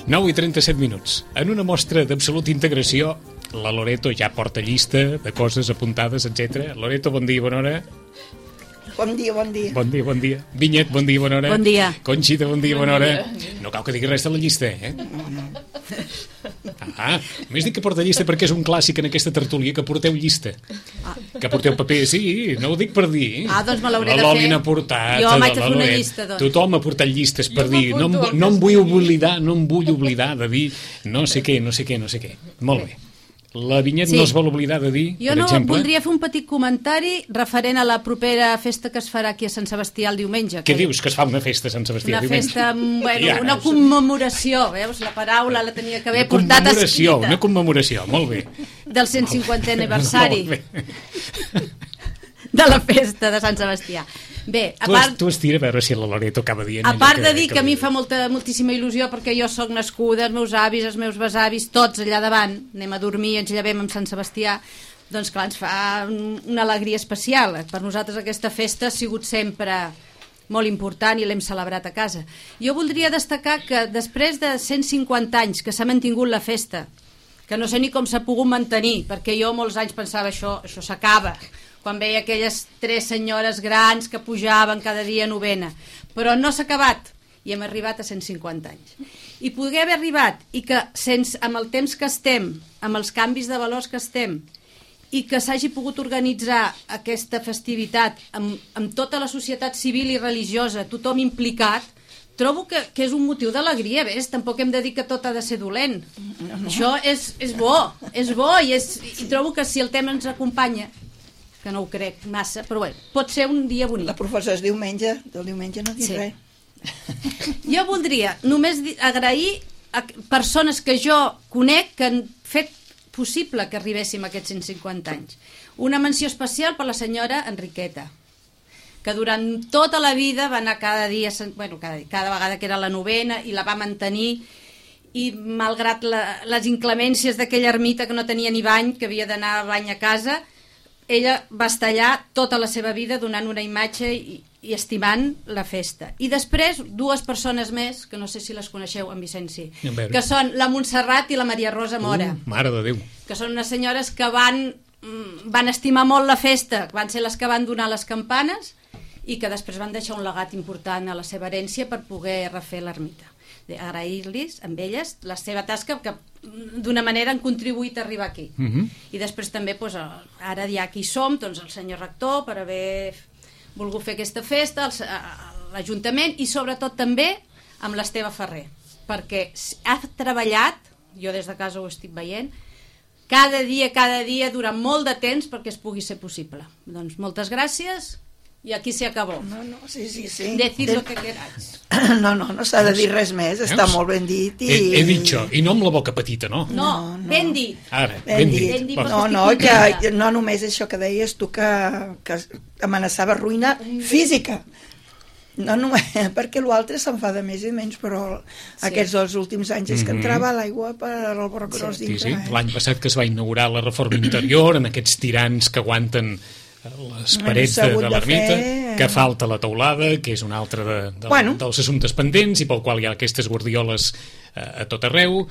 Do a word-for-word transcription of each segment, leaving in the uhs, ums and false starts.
nou i trenta-set minuts. En una mostra d'absoluta integració, la Loreto ja porta llista de coses apuntades, etcètera. Loreto, bon dia, bona hora. Bon dia, bon dia. Bon dia, bon dia. Vinyet, bon dia, bona hora. Bon dia. Conxita, bon dia, bon bona hora. Dia. No cal que digui res de la llista, eh? No, no. Ah, més dic que porta llista perquè és un clàssic en aquesta tertúlia, que porteu llista. Ah. Que porteu paper, sí, no ho dic per dir. Ah, doncs me l'hauré de fer. La Loli n'ha portat. Jo m'haig de fer una llista, doncs. Tothom ha portat llistes per dir. No, no em vull oblidar, no em vull oblidar de dir no sé què, no sé què, no sé què. Molt bé. La Vinyet sí. no es vol oblidar de dir, jo per no exemple... voldria fer un petit comentari referent a la propera festa que es farà aquí a Sant Sebastià el diumenge. Què que... dius, que es fa una festa a Sant Sebastià una diumenge? Festa, bueno, ja, una commemoració, veus? La paraula la tenia que haver una portat escrita. Una commemoració, molt bé. Del cent cinquantè aniversari de la festa de Sant Sebastià. Bé, a tu, part... tu estira a veure si la Loreto acaba dient... A part de dir que, que a mi fa molta, moltíssima il·lusió perquè jo sóc nascuda, els meus avis, els meus besavis, tots allà davant, anem a dormir, ens llevem amb Sant Sebastià, doncs clar, ens fa una alegria especial. Per nosaltres aquesta festa ha sigut sempre molt important i l'hem celebrat a casa. Jo voldria destacar que després de cent cinquanta anys que s'ha mantingut la festa, que no sé ni com s'ha pogut mantenir, perquè jo molts anys pensava això, això s'acaba, quan veia aquelles tres senyores grans que pujaven cada dia a novena, però no s'ha acabat i hem arribat a cent cinquanta anys. I poder haver arribat i que sense, amb el temps que estem, amb els canvis de valors que estem, i que s'hagi pogut organitzar aquesta festivitat amb, amb tota la societat civil i religiosa, tothom implicat, trobo que, que és un motiu d'alegria, ves? Tampoc hem de dir que tot ha de ser dolent. No, no. Això és, és bo, és bo i, és, i trobo que si el tema ens acompanya, que no ho crec massa, però bé, pot ser un dia bonic. La professora és diumenge, del diumenge no dic sí. res. Jo voldria només agrair a persones que jo conec que han fet possible que arribéssim a aquests cent cinquanta anys. Una menció especial per la senyora Enriqueta, que durant tota la vida va anar cada dia, bueno, cada, cada vegada que era la novena, i la va mantenir, i malgrat la, les inclemències d'aquella ermita que no tenia ni bany, que havia d'anar a bany a casa, ella va estar allà tota la seva vida donant una imatge i, i estimant la festa. I després dues persones més, que no sé si les coneixeu, en Vicenci, que són la Montserrat i la Maria Rosa Mora. Uh, mare de Déu. Que són unes senyores que van, van estimar molt la festa, van ser les que van donar les campanes i que després van deixar un legat important a la seva herència per poder refer l'ermita. Agrair-los amb elles la seva tasca, que d'una manera han contribuït a arribar aquí. Uh -huh. I després també, doncs, ara ja aquí som, doncs, el senyor rector per haver volgut fer aquesta festa, l'Ajuntament, i sobretot també amb l'Esteve Ferrer, perquè ha treballat, jo des de casa ho estic veient, cada dia, cada dia, durant molt de temps perquè es pugui ser possible. Doncs moltes gràcies. I aquí se acabó. No, no, sí, sí, sí. Decid lo que queráis. No, no, no s'ha de dir res més, està Veus? molt ben dit. I... He, he dit jo, i no amb la boca petita, no? No, no, ben dit. Ara, ben, ben dit. dit. Ben dit. No, no, que no només això que deies tu, que, que amenaçava ruïna física. No, no, perquè l'altre se'n fa de més i menys, però sí. Aquests dos últims anys és que entrava l'aigua per al Borrós sí, dintre. Sí, sí. Eh? L'any passat que es va inaugurar la reforma interior, en aquests tirants que aguanten les parets de, de l'ermita, fer... que falta la teulada, que és un altre de, de, bueno. dels assumptes pendents i pel qual hi ha aquestes guardioles a, a tot arreu.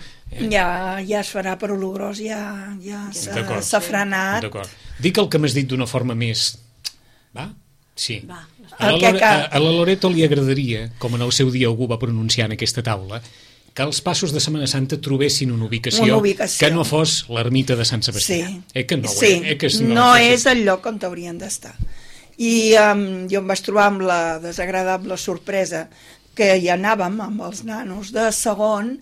Ja, ja es farà per Ologrós, ja, ja s'ha frenat. D'acord. Dic el que m'has dit d'una forma més... Va? Sí. Va. A, la que, que... a, a la Loreto li agradaria, com en el seu dia algú va pronunciar en aquesta taula, que els passos de Setmana Santa trobessin una ubicació, una ubicació. Que no fos l'ermita de Sant Sebastià. Sí, eh que no, sí. Eh? Eh que no, no és el lloc on haurien d'estar. I um, jo em vaig trobar amb la desagradable sorpresa que hi anàvem amb els nanos de segon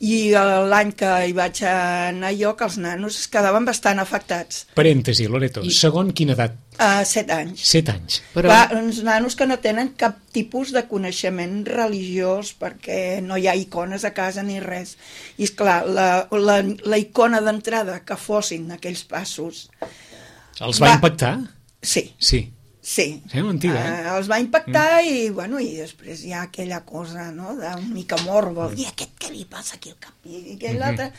i l'any que hi vaig anar jo, que els nanos es quedaven bastant afectats. Parèntesi, Loreto, I... segon quina edat? Uh, set anys. Set anys. Però... Va, uns nanos que no tenen cap tipus de coneixement religiós perquè no hi ha icones a casa ni res. I esclar, la, la, la icona d'entrada que fossin aquells passos... Els va, va... impactar? Sí. Sí. Sí, sí mentida, eh? uh, els va impactar mm. i, bueno, i després hi ha aquella cosa, no?, d'una mica morbo, mm. i aquest què li passa aquí al cap, i aquell mm -hmm. altre,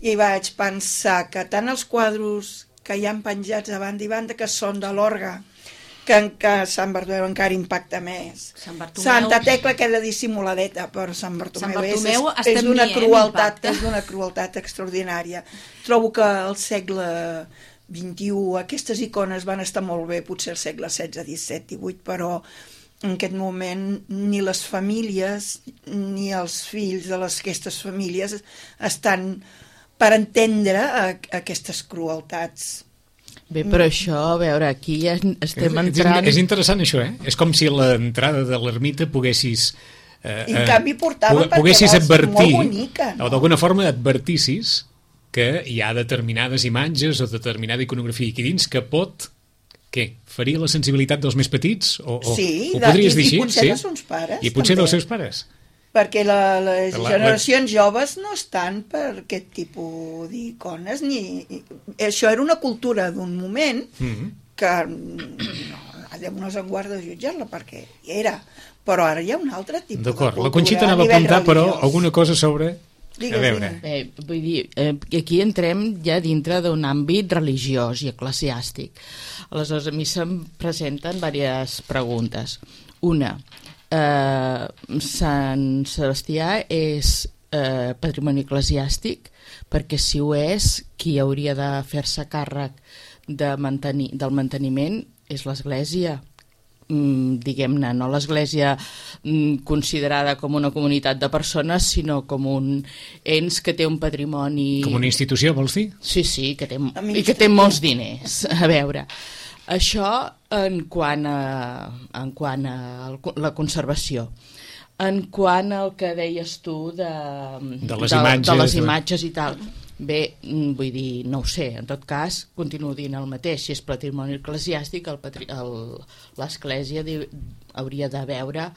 i vaig pensar que tant els quadros que hi han penjats a banda i banda, que són de l'orgue, que, que Sant Bartomeu encara impacta més. Sant Bartomeu... Santa Tecla queda dissimuladeta, però Sant Bartomeu, Sant Bartomeu és, és d'una crueltat, és d'una crueltat extraordinària. Trobo que al segle vint-i-u aquestes icones van estar molt bé, potser al segle setze, disset, divuit, però en aquest moment ni les famílies ni els fills de les, aquestes famílies estan per entendre a, a aquestes crueltats. Bé, però això, a veure, aquí ja estem entrant... És, és interessant això, eh? És com si a l'entrada de l'ermita poguessis... Eh, I en canvi portaven poguessis perquè advertir, molt bonica, no? O d'alguna forma advertissis que hi ha determinades imatges o determinada iconografia aquí dins que pot, què, ferir la sensibilitat dels més petits? O, o, sí, ho podries i, dir així? i potser sí? dels seus pares. I potser també. dels seus pares. Perquè la, les la, generacions la... joves no estan per aquest tipus d'icones, ni... Això era una cultura d'un moment mm-hmm. que no, Déu no se'n guarda de jutjar-la, perquè era, però ara hi ha un altre tipus de cultura. D'acord, la Conxita anava a apuntar, però alguna cosa sobre... Digues, a veure. Eh, vull dir, eh, aquí entrem ja dintre d'un àmbit religiós i eclesiàstic. Aleshores, a mi se'm presenten diverses preguntes. Una, Eh, Sant Sebastià és eh, patrimoni eclesiàstic, perquè si ho és, qui hauria de fer-se càrrec de mantenir, del manteniment és l'Església, mm, diguem-ne, no l'Església mm, considerada com una comunitat de persones, sinó com un ens que té un patrimoni... Com una institució, vols dir? Sí, sí, que té, i que té molts diners. A veure... Això en quant a, en quant a la conservació. En quant al que deies tu de, de, les, de, imatges, de les imatges i tal, bé, vull dir, no ho sé, en tot cas, continuo dient el mateix, si és patrimoni eclesiàstic, l'Església hauria de veure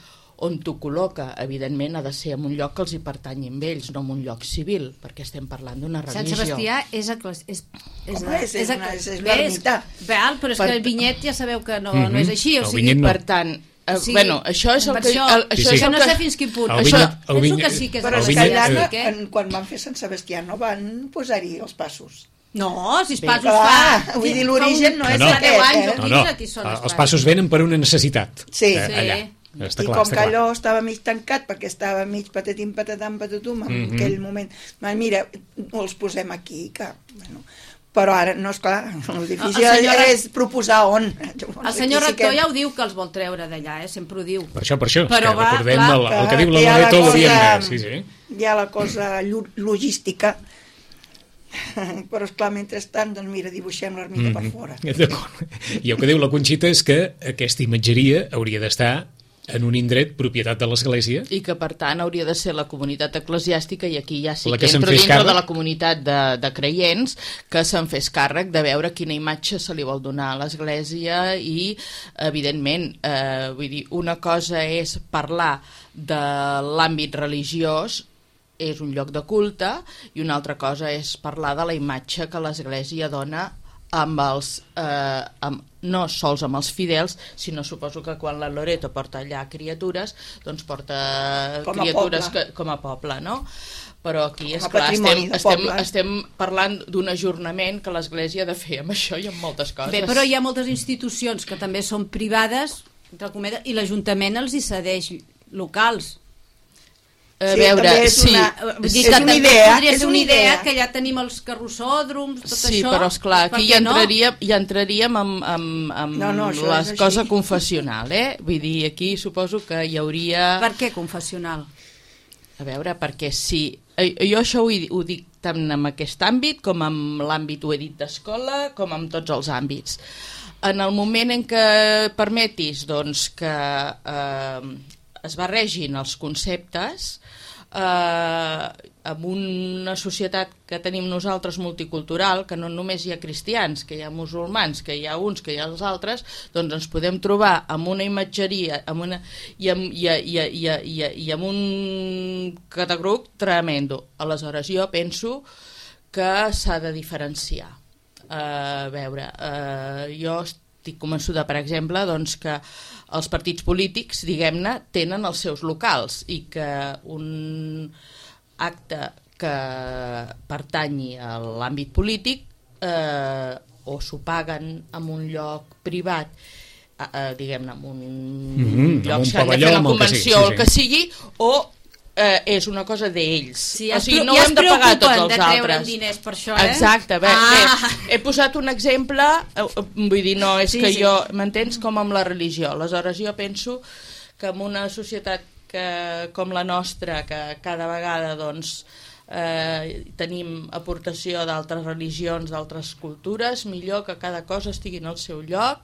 on t'ho col·loca. Evidentment ha de ser en un lloc que els hi pertanyi amb ells, no en un lloc civil, perquè estem parlant d'una religió. Sant Sebastià és és, és, és, Home, és, és, una, és, és l'ermità. Però és per... que el vinyet ja sabeu que no, mm-hmm. no és així, o sigui, no. Per tant, eh, sí, bueno, això és el que... Això, el, això sí, sí. és el no que... sé fins quin punt. El això, vinyet, el penso vinyet, que sí que és però el és que allà, eh? en, quan van fer Sant Sebastià no van posar-hi els passos. No, si els passos Bé, fa... clar, vull dir, l'origen no és no, aquest. anys, Eh? No, no, els passos venen per una necessitat. Sí. Eh, allà. Està I clar, com que allò estava mig tancat perquè estava mig patatim patatam patatum en mm-hmm. aquell moment, mira, els posem aquí que, bueno, però ara no, és clar, el difícil el senyor, és proposar on. El senyor rector sí que... ja ho diu que els vol treure d'allà, eh? Sempre ho diu. Per això, per això, però que va, recordem clar, el, el que diu la Loreto ho diem més. Sí, sí. Hi ha la cosa logística, però esclar, mentrestant, doncs mira, dibuixem l'ermita mm-hmm. per fora. D'acord. I el que diu la Conxita és que aquesta imatgeria hauria d'estar en un indret propietat de l'Església. I que, per tant, hauria de ser la comunitat eclesiàstica, i aquí ja sí que, que entro dintre càrrec... de la comunitat de, de creients, que se'n fes càrrec de veure quina imatge se li vol donar a l'Església i, evidentment, eh, vull dir, una cosa és parlar de l'àmbit religiós, és un lloc de culte, i una altra cosa és parlar de la imatge que l'Església dona amb els, eh, amb, no sols amb els fidels, sinó suposo que quan la Loreto porta allà criatures, doncs porta com criatures que, com a poble, no? Però aquí, esclar, estem, estem, estem parlant d'un ajornament que l'Església ha de fer amb això i amb moltes coses. Bé, però hi ha moltes institucions que també són privades, i l'Ajuntament els hi cedeix locals. A sí, veure, és sí, una, és és una idea, és una idea que ja tenim els carrossòdroms, tot sí, això. Sí, però esclar, aquí ja entraríem, no? ja entraríem amb, amb, amb no, no, la cosa confessional, eh? Vull dir, aquí suposo que hi hauria... Per què confessional? A veure, perquè sí, jo això ho, ho dic tant en aquest àmbit com en l'àmbit, ho he dit, d'escola, com en tots els àmbits. En el moment en què permetis doncs, que eh, es barregin els conceptes, eh, en una societat que tenim nosaltres multicultural, que no només hi ha cristians, que hi ha musulmans, que hi ha uns, que hi ha els altres, doncs ens podem trobar amb una imatgeria amb una, i, amb, i, i, i, i, i amb un catagruc tremendo. Aleshores, jo penso que s'ha de diferenciar. Eh, a veure, eh, jo estic convençuda, per exemple, doncs, que els partits polítics, diguem-ne, tenen els seus locals i que un acte que pertanyi a l'àmbit polític eh, o s'ho paguen en un lloc privat uh, diguem-ne, en un mm-hmm, lloc un que han de fer una convenció o el que sigui, o eh, és una cosa d'ells. Sí, ja o sigui, no ja ho hem de pagar tots els de altres. Diners per això, eh? Exacte, bé, ah. bé, he posat un exemple, vull dir, no, és sí, que sí. jo, m'entens, com amb la religió. Aleshores jo penso que en una societat que, com la nostra, que cada vegada, doncs, Eh, tenim aportació d'altres religions, d'altres cultures, millor que cada cosa estigui en el seu lloc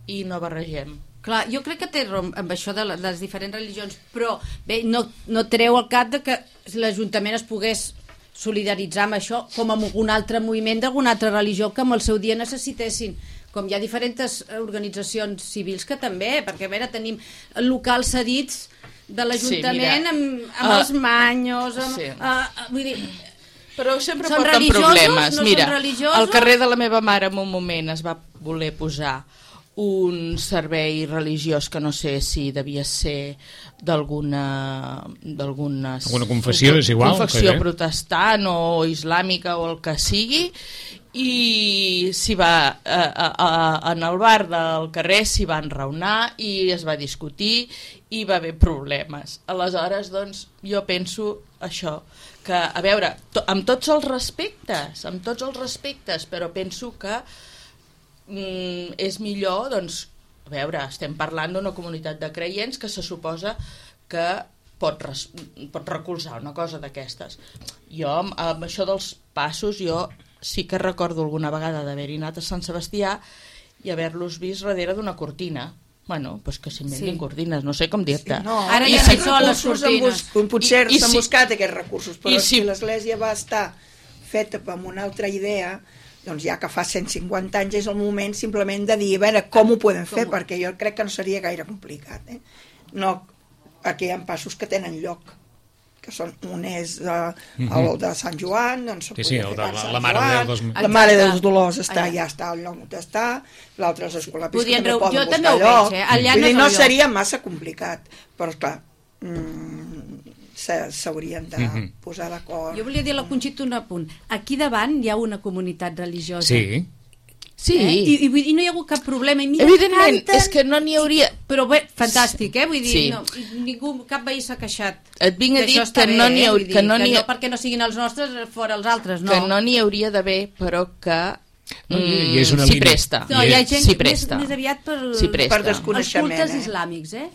i no barregem. Clar, jo crec que té raó amb això de, la, de les diferents religions, però bé, no, no treu el cap de que l'Ajuntament es pogués solidaritzar amb això com amb un altre moviment d'alguna altra religió que en el seu dia necessitessin, com hi ha diferents organitzacions civils que també, perquè a veure, tenim locals cedits de l'Ajuntament sí, amb, amb uh, els manyos amb, sí. uh, uh, vull dir, però sempre són porten problemes. No mira, al carrer de la meva mare en un moment es va voler posar un servei religiós que no sé si devia ser d'alguna d'alguna confessió, és igual, confessió protestant o islàmica o el que sigui, i s'hi va a, a, a, en el bar del carrer s'hi va enraonar i es va discutir i va haver problemes. Aleshores, doncs, jo penso això, que, a veure, to, amb tots els respectes, amb tots els respectes, però penso que mm, és millor, doncs, a veure, estem parlant d'una comunitat de creients que se suposa que pot, res, pot recolzar una cosa d'aquestes. Jo, amb, amb això dels passos, jo sí que recordo alguna vegada d'haver-hi anat a Sant Sebastià i haver-los vist darrere d'una cortina. Bueno, doncs que s'inventin sí. cortines, no sé com dir-te. Sí, no, ara I ja si són les cortines. Potser s'han si, buscat aquests recursos, però si, si l'Església va estar feta amb una altra idea, doncs ja que fa cent cinquanta anys és el moment simplement de dir, a veure, com ho podem fer, com? Perquè jo crec que no seria gaire complicat. Eh? No, aquí hi ha passos que tenen lloc, que són, un és uh, el de Sant Joan, doncs sí, sí, el de la, la Mare Joan, dels... la Mare dels Dolors està, ja està al lloc on està, l'altre és l'Escolapis, que també poden buscar també lloc. Veig, eh? Vull dir, no seria massa complicat, però clar, mm, s'haurien de mm-hmm. posar d'acord. Jo volia dir a la Conxita un apunt. Aquí davant hi ha una comunitat religiosa. Sí. Sí. Eh? I, i, i no hi ha hagut cap problema. I mira, evidentment, canten, és que no n'hi hauria... Però bé, fantàstic, eh? Vull dir, sí. no, ningú, cap veí s'ha queixat. Et vinc a dir que bé, no n'hi hauria... Eh? Que no, que no perquè no siguin els nostres, fora els altres, no. Que no n'hi hauria d'haver, però que no, mm, i és una s'hi presta. No, hi ha gent s'hi presta. Més, més aviat per, per desconeixement. Els cultes eh? islàmics, eh?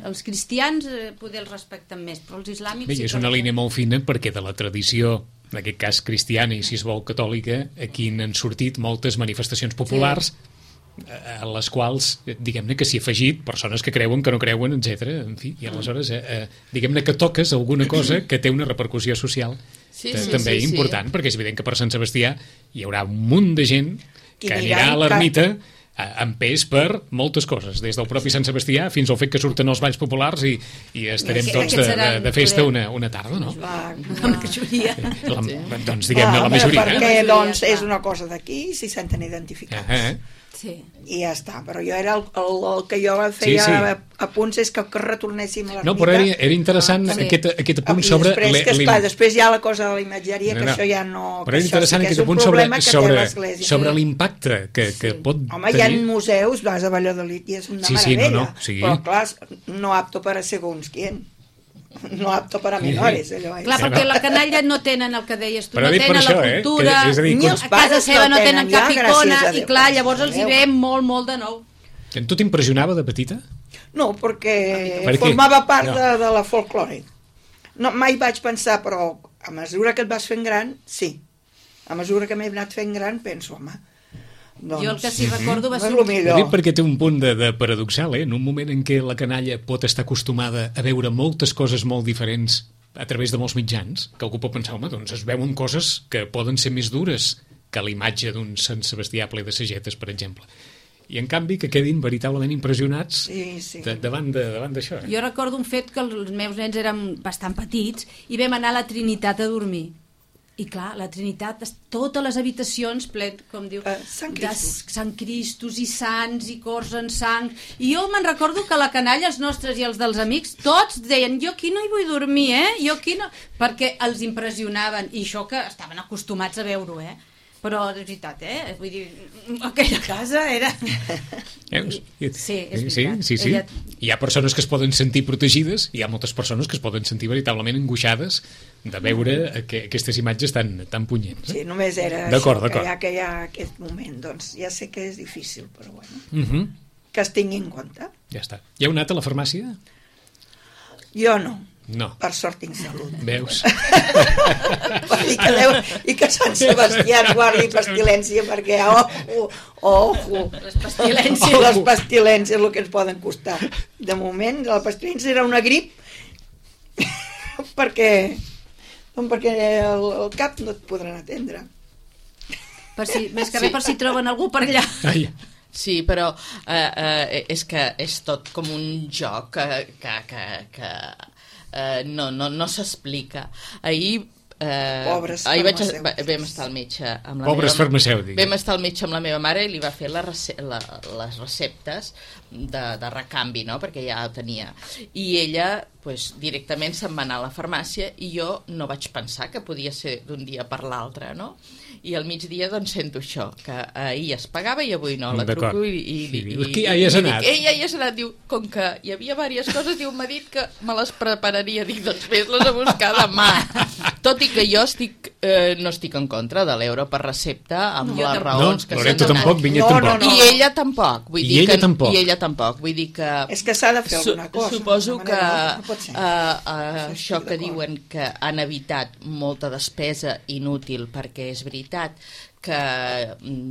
Els cristians eh, poder els respecten més, però els islàmics... Bé, sí és una línia molt fina perquè de la tradició, en aquest cas cristiana i si es vol catòlica, aquí n'han sortit moltes manifestacions populars sí. a les quals, diguem-ne que s'hi ha afegit persones que creuen, que no creuen, etcètera. En fi, i aleshores, eh, eh, diguem-ne que toques alguna cosa que té una repercussió social sí, sí, sí, també sí, important, sí. perquè és evident que per Sant Sebastià hi haurà un munt de gent que anirà a l'ermita amb pes per moltes coses, des del propi Sant Sebastià fins al fet que surten els balls populars i, i estarem I tots de, de, de festa una, una tarda, no? La, la majoria. La, doncs diguem-ne la majoria. Perquè eh? doncs, és una cosa d'aquí, si senten identificats. Uh -huh. Sí. I ja està, però jo era el, el, el que jo feia sí, sí. a punts és que, que retornéssim a l'ermita. No, però era, era interessant ah, sí. aquest, aquest punt I sobre... després, que, esclar, després hi ha la cosa de la imatgeria, no, no. que això ja no... Però era interessant aquest punt sobre, sobre, sobre l'impacte que, que sí. pot Home, tenir. Hi ha museus, vas a Valladolid i és una sí, sí, meravella, no, no, sí. però clar, no apto per a segons quién. No apto per a menores, allò. Eh? Clar, perquè la canalla no tenen el que deies tu, però no tenen això, la cultura, eh? que, és a, dir, ni els a casa seva no tenen cap ja, icona, i clar, llavors els hi ve molt, molt de nou. Tu t'impressionava de petita? No, perquè per formava part no. de, de la folklore. No, mai vaig pensar, però a mesura que et vas fent gran, sí. A mesura que m'he anat fent gran, penso, home, doncs... Jo el que sí recordo va ser... No Ho dic perquè té un punt de, de paradoxal, eh? En un moment en què la canalla pot estar acostumada a veure moltes coses molt diferents a través de molts mitjans, que algú pot pensar, home, doncs es veuen coses que poden ser més dures que l'imatge d'un Sant Sebastià ple de sagetes, per exemple. I en canvi que quedin veritablement impressionats sí, sí. De, davant d'això. Eh? Jo recordo un fet que els meus nens eren bastant petits i vam anar a la Trinitat a dormir. I clar, la Trinitat, totes les habitacions ple, com diu, uh, Sant Cristos. de Sant Cristos i sants i cors en sang. I jo me'n recordo que la canalla, els nostres i els dels amics, tots deien, jo aquí no hi vull dormir, eh? Jo aquí no... Perquè els impressionaven, i això que estaven acostumats a veure-ho, eh? Però, de veritat, eh? Vull dir, aquella casa era... Veus? Sí, és veritat. Sí, sí, sí. Ella... Hi ha persones que es poden sentir protegides i hi ha moltes persones que es poden sentir veritablement angoixades de veure que aquestes imatges tan, tan punyents. Sí, només era això, que ja que hi ha aquest moment. Doncs ja sé que és difícil, però bueno, uh -huh. que es tingui en compte. Ja està. Hi heu anat a la farmàcia? Jo no. No. Per sort tinc salut. Veus? I que, Déu, I que Sant Sebastià ens guardi pestilència, perquè ojo, ojo, les pestilències, oh, les pestilències, el que ens poden costar. De moment, la pestilència era una grip, perquè, doncs perquè el, el cap no et podran atendre. Per si, més que res, per si troben algú per allà. Ai. Sí, però eh, eh, és que és tot com un joc que, que, que, que eh, no, no, no s'explica. Ahir Eh, Pobres ahir vaig, farmacèutics. vam estar al metge amb la Pobres meva, farmacèutics. vam estar al metge amb la meva mare i li va fer la, la, les receptes de, de recanvi, no? Perquè ja ho tenia, i ella pues, directament se'n va anar a la farmàcia i jo no vaig pensar que podia ser d'un dia per l'altre, no? I al migdia doncs sento això, que ahir es pagava i avui no, la truco i, i, sí, i, dius, i, qui hi has i anat? dic, ei, ja hi has anat, diu, com que hi havia diverses coses, diu, m'ha dit que me les prepararia, dic, doncs fes-les a buscar demà. Tot i que jo estic, eh, no estic en contra de l'euro per recepta amb No, les jo raons no, que Loreto s'han donat. tampoc, Vinyet No, tampoc. no, no. I ella tampoc, vull I dir ella que, tampoc. I ella tampoc, vull dir que... És que s'ha de fer alguna cosa. Suposo d'una que manera, no pot ser. uh, uh, Sí, això estic que d'acord. diuen que han evitat molta despesa inútil, perquè és veritat que,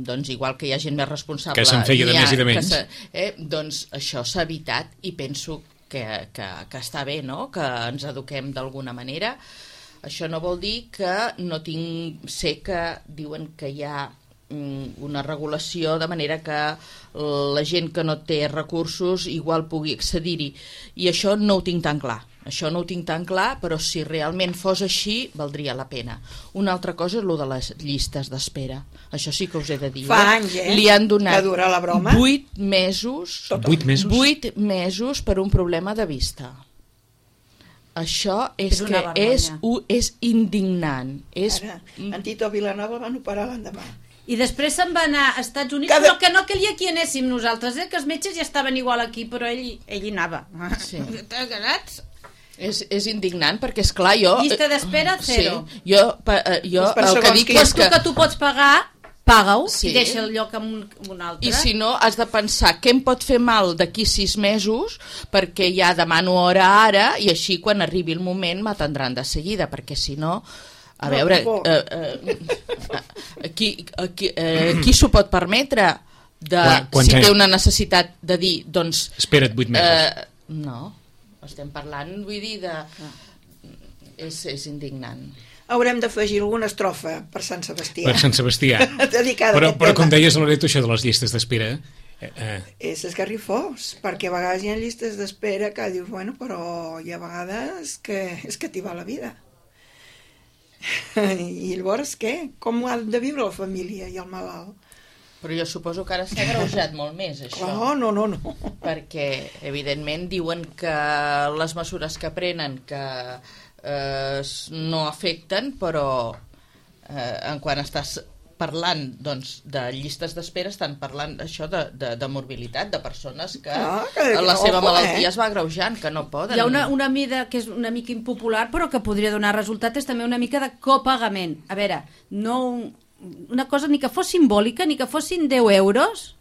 doncs, igual que hi ha gent més responsable... Que se'n feia de n'hi ha més i de que menys. se- Eh, doncs això s'ha evitat i penso que, que, que està bé, no?, que ens eduquem d'alguna manera. Això no vol dir que no tinc... Sé que diuen que hi ha mm, una regulació de manera que la gent que no té recursos igual pugui accedir-hi, i això no ho tinc tan clar. Això no ho tinc tan clar, però si realment fos així, valdria la pena. Una altra cosa és el de les llistes d'espera. Això sí que us he de dir. Fa anys, eh, Li han donat que dura la broma. vuit mesos, Vuit mesos? vuit mesos per un problema de vista. Això és, És una que és, vergonya. u- és indignant. És... Ara, en Tito Vilanova el van operar l'endemà. I després se'n va anar a Estats Units, Cada- però que no calia que hi anéssim nosaltres, eh? Que els metges ja estaven igual aquí, però ell, ell hi anava. Sí. T'agrats? És, és indignant perquè, és clar, jo... Llista d'espera, zero. Sí, jo, pa, eh, jo Doncs per el que segons dic qui- és Tu que... que tu pots pagar, paga-ho Sí. i deixa el lloc amb un, amb un altre. I si no, has de pensar què em pot fer mal d'aquí sis mesos perquè ja demano hora ara i així quan arribi el moment m'atendran de seguida, perquè si no... A No, veure, por. eh, eh, qui, qui, eh, qui s'ho pot permetre de, Quan- quants si té anys? una necessitat de dir, doncs... Espera't vuit mesos. Eh, no, estem parlant, vull dir, de... És, és indignant. Haurem d'afegir alguna estrofa per Sant Sebastià. Per Sant Sebastià. Dedicada a Però, aquest però tema. com deies, Loreto, això de les llistes d'espera... Eh, eh, És esgarrifós, perquè a vegades hi ha llistes d'espera que dius, bueno, però hi ha vegades que és que t'hi va la vida. I llavors què? Com ha de viure la família i el malalt? Però jo suposo que ara s'ha agreujat molt més, això. Oh, no, no, no. Perquè, evidentment, diuen que les mesures que prenen que eh, no afecten, però eh, en quan estàs parlant doncs, de llistes d'espera, estan parlant això de, de, de morbilitat, de persones que Ah, que- la seva ojo, malaltia eh? es va agreujant, que no poden. Hi ha una, una mida que és una mica impopular, però que podria donar resultat, és també una mica de copagament. A veure, no un- una cosa ni que fos simbòlica, ni que fossin deu euros,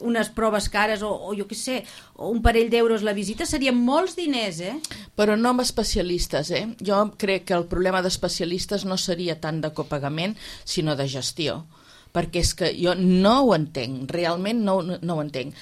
unes proves cares, o, o jo què sé, o un parell d'euros la visita, serien molts diners, eh? Però no amb especialistes, eh? Jo crec que el problema d'especialistes no seria tant de copagament, sinó de gestió. Perquè és que jo no ho entenc, realment no, no, no ho entenc.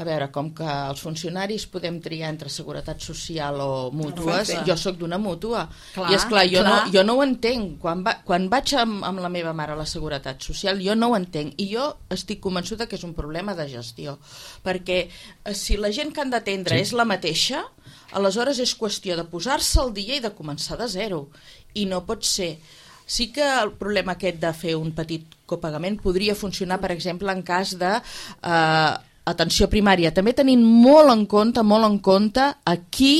A veure, com que els funcionaris podem triar entre seguretat social o mútues, No, jo sóc d'una mútua. Clar, I és clar, jo, clar. No, jo no ho entenc. Quan, va, quan vaig amb, amb la meva mare a la seguretat social, jo no ho entenc. I jo estic convençuda que és un problema de gestió. Perquè eh, si la gent que han d'atendre Sí. és la mateixa, aleshores és qüestió de posar-se al dia i de començar de zero. I no pot ser. Sí que el problema aquest de fer un petit copagament podria funcionar, per exemple, en cas de eh, atenció primària. També tenint molt en compte, molt en compte a qui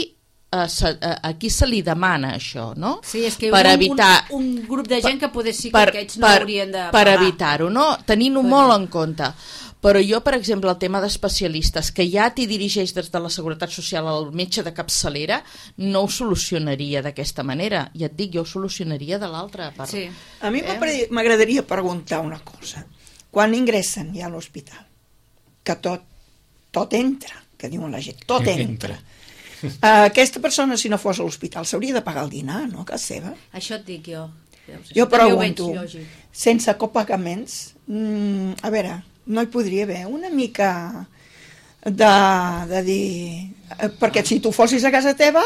a, a, a qui se li demana això, no? Sí, és que per un, evitar, un, un grup de gent que poder sí que per, aquests no per, haurien de pagar. Per evitar-ho, no? Tenint-ho per... molt en compte. Però jo, per exemple, el tema d'especialistes, que ja t'hi dirigeix des de la Seguretat Social al metge de capçalera, no ho solucionaria d'aquesta manera. Ja et dic, jo ho solucionaria de l'altra part. Sí. A mi eh? m'agradaria preguntar una cosa. Quan ingressen ja a l'hospital, que tot, tot entra, que diuen la gent, tot entra. Uh, aquesta persona, si no fos a l'hospital, s'hauria de pagar el dinar, no? Que és seva. Això et dic jo. Jo pregunto, sense copagaments, mm, a veure, no hi podria haver una mica de, de dir... Perquè si tu fossis a casa teva,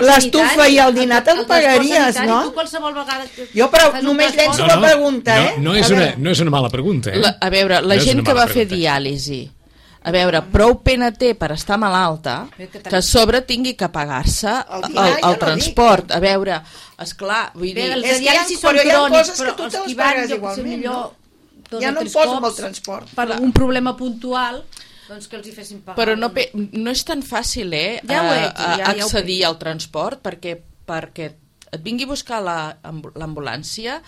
l'estufa i el dinar te'l pagaries, no? Tu qualsevol vegada... Jo però només llenço la pregunta, eh? No, no, és una, no és una mala pregunta, eh? La, a veure, la no gent que va fer diàlisi, a veure, prou pena té per estar malalta, que a sobre tingui que pagar-se el, el, el transport. A veure, esclar, vull dir... Els de diàlisi són crònics, però els que van igualment, no? Ja no em poso amb el transport. Per un problema puntual, doncs que els hi fessin pagar. Però no, no és tan fàcil, eh, ja ho he, ja, ja accedir al transport, perquè, perquè et vingui a buscar l'ambulància,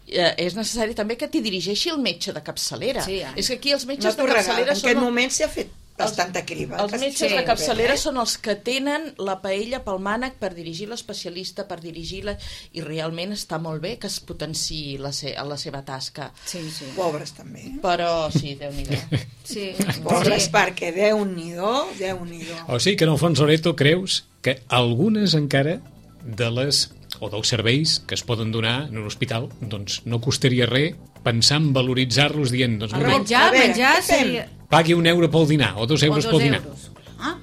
eh, és necessari també que t'hi dirigeixi el metge de capçalera. Sí, ja. És que aquí els metges no de capçalera són... En aquest moment s'ha fet bastanta criba. Els metges sí, de capçalera són els que tenen la paella pel mànec per dirigir l'especialista, per dirigir-la, i realment està molt bé que es potenciï la, se la seva tasca. Sí, sí. Pobres també. Però sí, Déu-n'hi-do. Sí. Pobres sí. Perquè Déu-n'hi-do, Déu-n'hi-do. O sigui que en el fons, Loreto, creus que algunes encara de les o dels serveis que es poden donar en un hospital, doncs no costaria res pensar en valoritzar-los dient, doncs mira, menjar, veure, menjar seria... pagui un euro pel dinar o dos euros o dos pel dinar. Euros. Ah.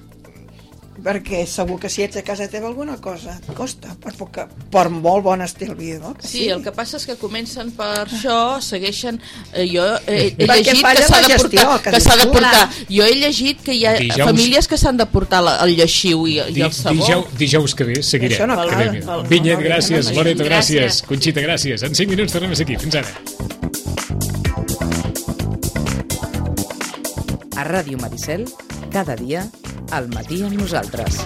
Perquè segur que si ets a casa teva alguna cosa et costa, per, poca, per molt bon estil vida. Sí, sí, el que passa és que comencen per això, segueixen... Eh, jo he, he llegit que s'ha de portar... Que que de portar. Jo he llegit que hi ha dijous, famílies que s'han de portar la, el lleixiu i, i el sabó. Dijous, dijous que ve seguirem. No cal, cal, Vinyet, gràcies. Loreto, gràcies. Conxita, gràcies. En cinc minuts tornem a ser aquí. Fins ara. A Ràdio Maricel, cada dia, al matí amb nosaltres.